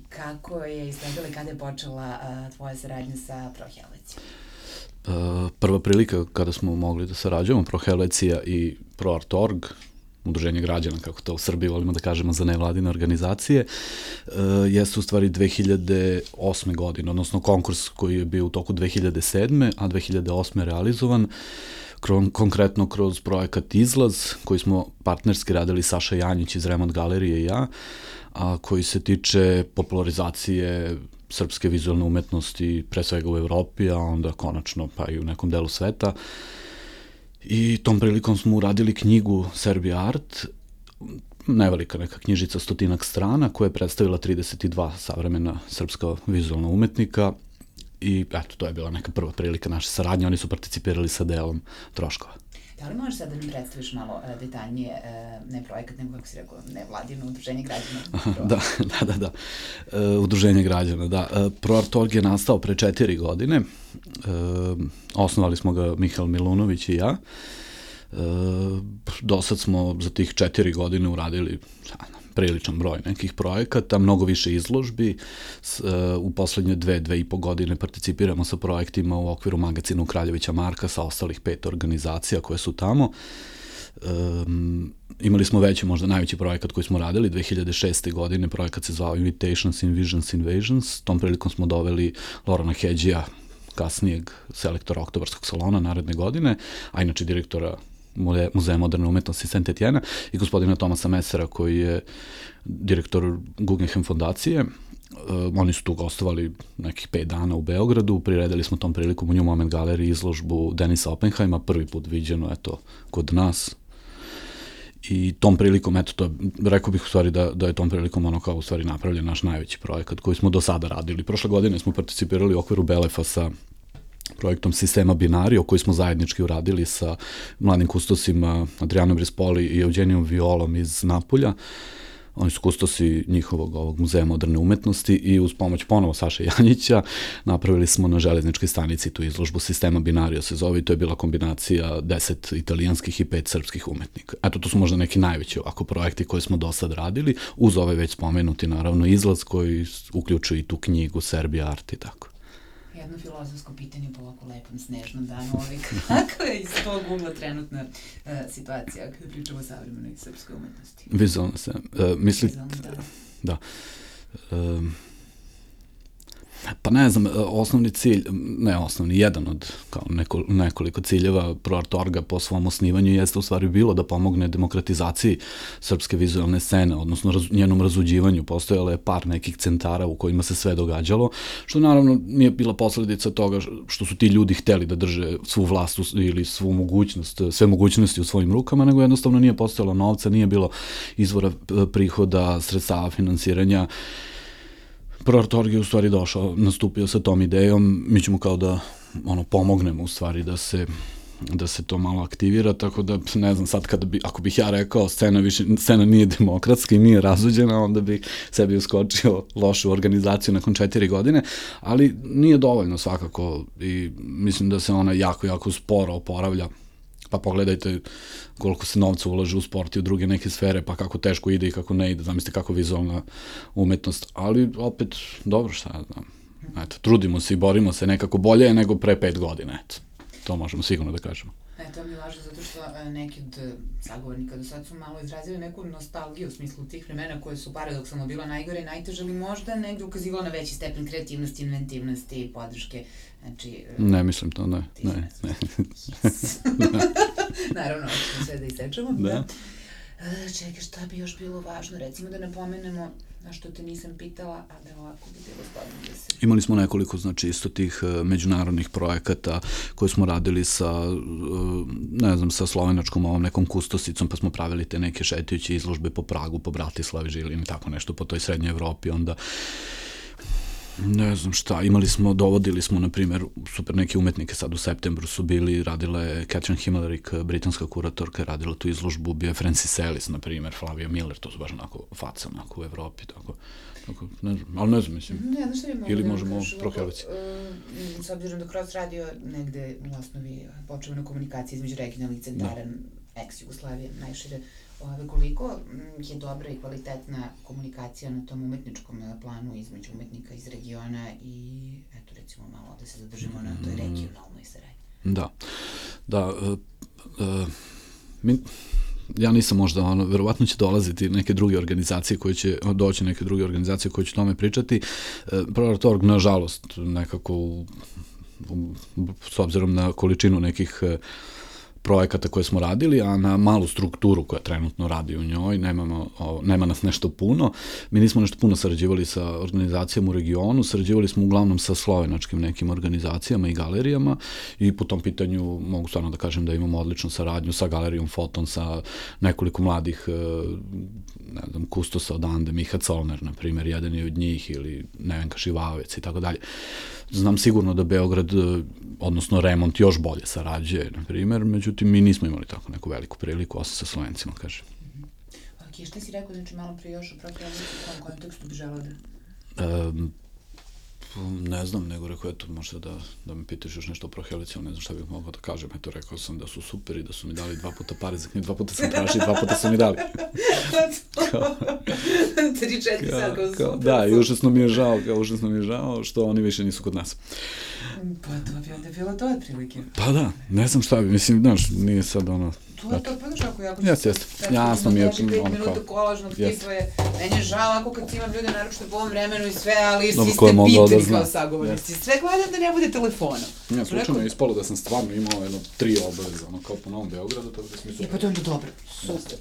Kako je izgledala i kada je počela tvoja saradnja sa Pro Helvecijom? Prva prilika kada smo mogli da sarađujemo, Pro Helvecija i Pro Art.org, udruženje građana, kako to u Srbiji volimo da kažemo za nevladine organizacije, jeste u stvari 2008. godine, odnosno konkurs koji je bio u toku 2007. a 2008. realizovan, konkretno kroz projekat Izlaz, koji smo partnerski radili Saša Janjić iz Remont galerije i ja, a koji se tiče popularizacije srpske vizualne umetnosti, pre svega u Evropi, a onda konačno pa i u nekom delu sveta. I tom prilikom smo uradili knjigu Serbia Art, nevelika neka knjižica, 100 strana, koja je predstavila 32 savremena srpska vizualna umetnika i eto, to je bila neka prva prilika naše saradnje, oni su participirali sa delom troškova. Da li možeš sad da mi predstaviš malo detaljnije, ne projekat, nego kako si rekao, nevladino udruženje građana? Da. Udruženje građana, da. Pro Art.org je nastao pre 4 godine. Osnovali smo ga Mihael Milunović i ja. Do sad smo za tih 4 godine uradili priličan broj nekih projekata, mnogo više izložbi. U poslednje 2,5 godine participiramo sa projektima u okviru magazina Kraljevića Marka sa ostalih 5 organizacija koje su tamo. Imali smo veći, možda najveći projekat koji smo radili 2006. godine, projekat se zvao Invitations, Invisions, Invasions. Tom prilikom smo doveli Lorana Hedžija, kasnijeg selektora Oktobarskog salona naredne godine, a inače direktora Muzeja moderne umetnosti Saint-Etienne i gospodina Tomasa Mesera koji je direktor Guggenheim fondacije. Oni su tu gostovali nekih 5 dana u Beogradu, priredili smo tom prilikom u New Moment galeriji izložbu Denisa Oppenheima, prvi put viđeno, eto, kod nas. I tom prilikom, eto, to, rekao bih u stvari da je tom prilikom ono kao u stvari napravljen naš najveći projekat koji smo do sada radili. Prošle godine smo participirali u okviru Belefa sa projektom Sistema Binario, koji smo zajednički uradili sa mladim kustosima Adrianom Rispoli i Eugenijom Violom iz Napulja. Oni su kustosi njihovog ovog muzeja moderne umetnosti i uz pomoć ponovo Saše Janjića napravili smo na železničkoj stanici tu izložbu Sistema Binario se zove i to je bila kombinacija 10 italijanskih i 5 srpskih umetnika. Eto, to su možda neki najveći ovako projekti koje smo do sad radili, uz ovaj već spomenuti naravno Izlaz koji uključuje i tu knjigu Serbia Art i tako. Jedno filozofsko pitanje po ovako lepom snežnom danu, kakva je iz tog ugla trenutna situacija kada pričamo o savremenoj srpskoj umetnosti? Vizualno se, mislim, da. Pa ne znam, osnovni cilj, ne osnovni, jedan od kao nekoliko ciljeva Pro Art.orga po svom osnivanju jeste u stvari bilo da pomogne demokratizaciji srpske vizualne scene, odnosno njenom razuđivanju. Postojalo je par nekih centara u kojima se sve događalo, što naravno nije bila posledica toga što su ti ljudi hteli da drže svu vlast ili svu mogućnost, sve mogućnosti u svojim rukama, nego jednostavno nije postojalo novca, nije bilo izvora prihoda, sredstava finansiranja. Pro Art.org je u stvari došao, nastupio sa tom idejom, mi ćemo kao da pomognemo u stvari da se to malo aktivira, tako da ne znam sad ako bih ja rekao scena nije demokratska i nije razuđena, onda bih sebi uskočio lošu organizaciju nakon 4 godine, ali nije dovoljno svakako i mislim da se ona jako, jako sporo oporavlja. Pa pogledajte koliko se novca ulaže u sport i u druge neke sfere, pa kako teško ide i kako ne ide, zamislite kako vizualna umetnost, ali opet, dobro, šta ja znam, eto, trudimo se i borimo se nekako bolje nego pre 5 godina, eto, to možemo sigurno da kažemo. To mi je važno zato što neki od sagovornika do sad su malo izrazili neku nostalgiju u smislu tih vremena koje su paradoksalno bila najgore i najteže, ali možda negde ukazivalo na veći stepen kreativnosti, inventivnosti i podrške. Znači, ne, mislim to, ne. Naravno, ćemo sve da isečemo. Da. Čekaj, šta bi još bilo važno? Recimo da napomenemo, na što te nisam pitala, a da ovako bi bilo zgodno da se... Imali smo nekoliko, znači, isto tih međunarodnih projekata koje smo radili sa, ne znam, sa slovenačkom ovom nekom kustosicom, pa smo pravili te neke šetajuće izložbe po Pragu, po Bratislavi, Žilini, tako nešto, po toj srednjoj Evropi, onda... Ne znam šta, dovodili smo, na primjer, super neke umetnike, sad u septembru su bili, radila je Catherine Himmelerik, britanska kuratorka, radila tu izložbu, bio je Francis Ellis, na primjer, Flavia Miller, to su baš onako faca, onako u Evropi, tako, ne znam, ali ne znam, mislim, ili možemo proheliti. S obzirom da Kroz radio negde u osnovi počeo na komunikaciji između regionalnih centara ex-Jugoslavije, najšire Koliko je dobra i kvalitetna komunikacija na tom umetničkom planu između umetnika iz regiona i, eto, recimo malo da se zadržimo na toj regionalnoj saradnji. Ja nisam možda, verovatno će dolaziti neke druge organizacije koje će doći, neke druge organizacije koje će tome pričati. Proratorg, nažalost, nekako, s obzirom na količinu nekih projekata koje smo radili, a na malu strukturu koja trenutno radi u njoj, nema nas nešto puno. Mi nismo nešto puno sarađivali sa organizacijama u regionu, sarađivali smo uglavnom sa slovenačkim nekim organizacijama i galerijama i po tom pitanju mogu stvarno da kažem da imamo odličnu saradnju sa galerijom Foton, sa nekoliko mladih, ne znam, kustosa odande, Miha Colner, na primjer, jedan je od njih, ili Nevenka Šivavec i tako dalje. Znam sigurno da Beograd, odnosno Remont, još bolje sarađuje, na primjer, međutim, mi nismo imali tako neku veliku priliku, osim sa Slovencima, kažem. Ok, šta si rekao, znači malo prije još o Prohelici, u kom kontekstu bi želao da... Ne znam, nego rekao, eto, možda da me pitaš još nešto o Prohelici, ali ne znam šta bih mogao da kažem. Eto, rekao sam da su super i da su mi dali 2 puta pare za knjigu, 2 puta sam tražio i 2 puta su mi dali. 3-4 sad kao super. Da, i užasno mi je žao što oni više nisu kod nas. Pa to bi onda bilo to otprilike. Pa da, ne znam šta bi, mislim, znaš, nije sad ono... To je to, pa znaš ako jako... Jeste, jasno mi je... 5 minuta kolažnog tipa je, meni je žao ako kad imam ljude naročito po ovom vremenu i sve, ali svi ste pitani kao sagovornici. Sve gledam da ne bude telefonom. Ja, slučajno je ispalo da sam stvarno imao 3 obaveza, kao po Novom Beogradu, tako da smo... Pa to je onda dobro, super.